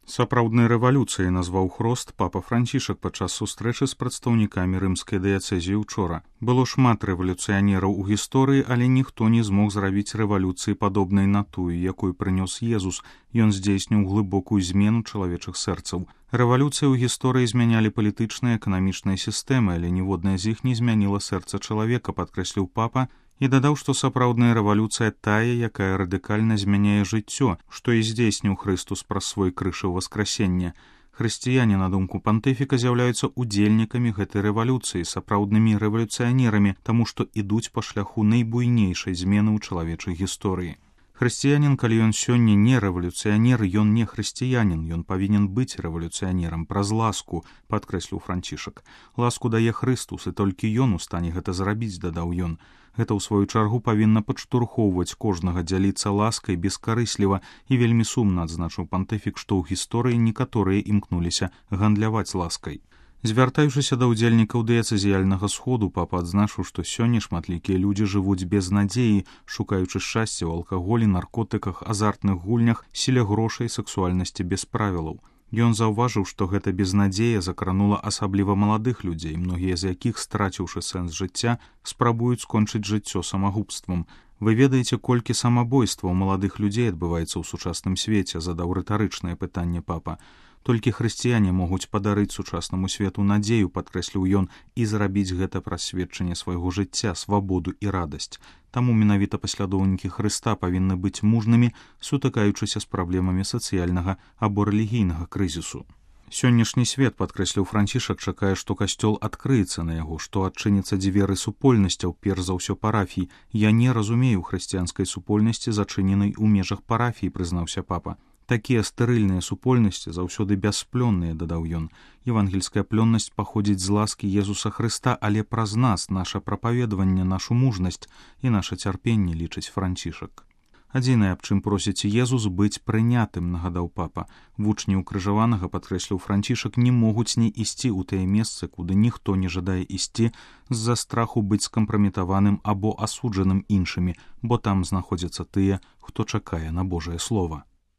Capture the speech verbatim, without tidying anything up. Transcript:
Сапраўднай рэвалюцыяй назваў хрост папа Францішак падчас сустрэчы з прадстаўнікамі рымскай дыяцэзіі учора. Было шмат рэвалюцыянераў у гісторыі, але ніхто не змог зрабіць рэвалюцыі падобнай на тую, якую прынёс Езус. Ён здзейсніў глыбокую змену чалавечых сэрцаў. Рэвалюцыі ў гісторыі змянялі палітычныя і эканамічныя сістэмы, але ніводная з іх не змяніла сэрца чалавека, падкрэсліў папа, і дадаў, што сапраўдная рэвалюцыя тая, якая радыкальна змяняе жыццё, што і здзейсніў Хрыстус праз свой крыж у васкрасенне. Хрысціяне, на думку пантыфіка, з'яўляюцца удзельнікамі гэтай рэвалюцыі, сапраўднымі рэвалюцыянерамі, таму што ідуць па шляху найбуйнейшай змены ў чалавечай гісторыі. Хрысціянін, калі ён сёння не рэвалюцыянер, ён не хрысціянін, ён павінен быць рэвалюцыянерам праз ласку, падкрэсліў Францішак. Ласку дае Хрыстус, і толькі ён у стане гэта зрабіць, дадаў ён. Гэта, ў сваю чаргу, павінна падштурхоўваць кожнага дзяліцца ласкай бескарысліва, і вельмі сумна адзначыў пантыфік, што ў гісторыі некаторыя імкнуліся гандляваць ласкай. Звяртаючыся да ўдзельнікаў дыяцэзіяльнага сходу, папа адзначыў, што сёння шматлікія людзі жывуць без надзеі, шукаючы шчасця ў алкаголі, наркотыках, азартных гульнях, сіле грошай, сексуальнасці без правілаў. Ён заўважыў, што гэта безнадзея закранула асабліва маладых людзей, многія з якіх, страціўшы сэнс жыцця, спрабуюць скончыць жыццё самагубствам. Вы ведаеце, колькі самабойстваў маладых людзей адбываецца ў сучасным свеце, задаў рытарычнае пытанне папа. Толькі хрысціяне могуць падарыць сучаснаму свету надзею, падкрэсліў ён, і зрабіць гэта праз сведчанне свайго жыцця, свабоду і радасць. Таму менавіта паслядоўнікі Хрыста павінны быць мужнымі, сутыкаючыся з праблемамі сацыяльнага або рэлігійнага крызісу. Сённяшні свет, падкрэсліў Францішак, чакае, што касцёл адкрыецца на яго, што адчыняцца дзверы супольнасцяў, перш за ўсё парафій. Я не разумею хрысціянскай супольнасці, зачыненай у межах парафій, прызнаўся папа. Такія стэрыльныя супольнасці заўсёды бясплённыя, дадаў ён. Евангельская плённасць паходзіць з ласкі Езуса Хрыста, але праз нас, наша прапаведаванне, нашу мужнасць і наша цярпенне, лічыць Францішак. Адзінае, аб чым просіць Езус, быць прынятым, нагадаў папа. Вучні ўкрыжаванага, падкрэсліў Францішак, не могуць не ісці ў тыя месцы, куды ніхто не жадае ісці з-за страху быць скампраметаваным або асуджаным іншымі, бо там знаходзяцца тыя, хто чакае на Божае слова.